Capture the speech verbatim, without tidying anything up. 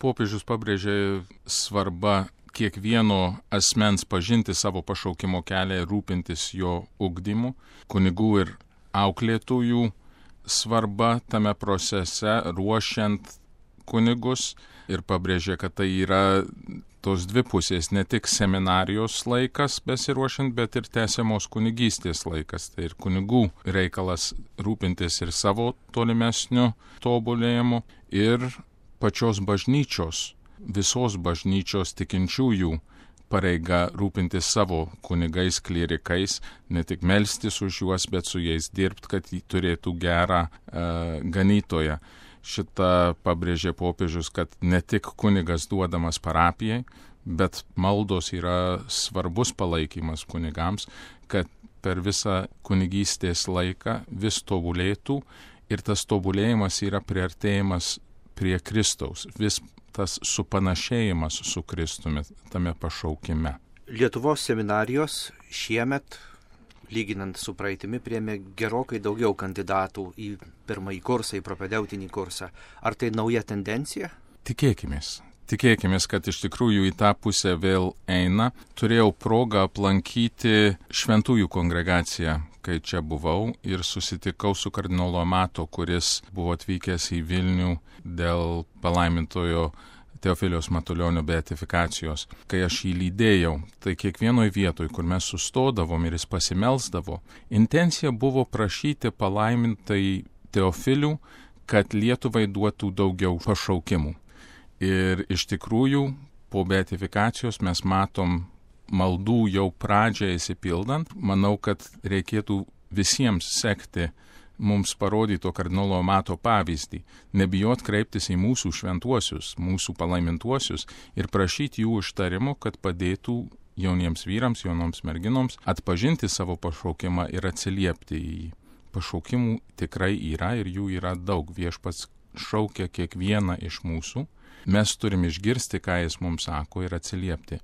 popiežius pabrėžė svarbą kiekvieno asmens pažinti savo pašaukimo kelią ir rūpintis jo ugdymu, kunigų ir auklėtojų svarba tame procese ruošiant kunigus ir pabrėžė, kad tai yra tos dvi pusės, ne tik seminarijos laikas besiruošiant, bet ir tęsiamos kunigystės laikas. Tai ir kunigų reikalas rūpintis ir savo tolimesniu tobulėjimu ir pačios bažnyčios, visos bažnyčios tikinčiųjų pareiga rūpintis savo kunigais, klierikais, ne tik melstis už juos, bet su jais dirbti, kad jį turėtų gerą e, ganytoją. Šitą pabrėžė popiežius, kad ne tik kunigas duodamas parapijai, bet maldos yra svarbus palaikymas kunigams, kad per visą kunigystės laiką vis tobulėtų ir tas tobulėjimas yra priartėjimas prie Kristaus, vis tas supanašėjimas su Kristumi tame pašaukime. Lietuvos seminarijos šiemet, lyginant su praeitimi, priėmė gerokai daugiau kandidatų į pirmąjį kursą, į propedeutinį kursą. Ar tai nauja tendencija? Tikėkimės. Tikėkimės, kad iš tikrųjų į tą pusę vėl eina. Turėjau progą aplankyti šventųjų kongregaciją, kai čia buvau, ir susitikau su kardinolu Amato, kuris buvo atvykęs į Vilnių dėl palaimintojo Teofiliaus Matulionio beatifikacijos. Kai aš jį lydėjau, tai kiekvienoj vietoj, kur mes sustodavom ir jis pasimelsdavo, intencija buvo prašyti palaimintai Teofilių, kad Lietuvai duotų daugiau pašaukimų. Ir iš tikrųjų, po beatifikacijos mes matom maldų jau pradžią įsipildant. Manau, kad reikėtų visiems sekti mums parodyto kardinolo Amato pavyzdį, nebijot kreiptis į mūsų šventuosius, mūsų palaimintuosius ir prašyti jų užtarimo, kad padėtų jauniems vyrams, jaunoms merginoms atpažinti savo pašaukimą ir atsiliepti į jį. Pašaukimų tikrai yra ir jų yra daug. Viešpats šaukia kiekvieną iš mūsų. Mes turim išgirsti, ką jis mums sako ir atsiliepti.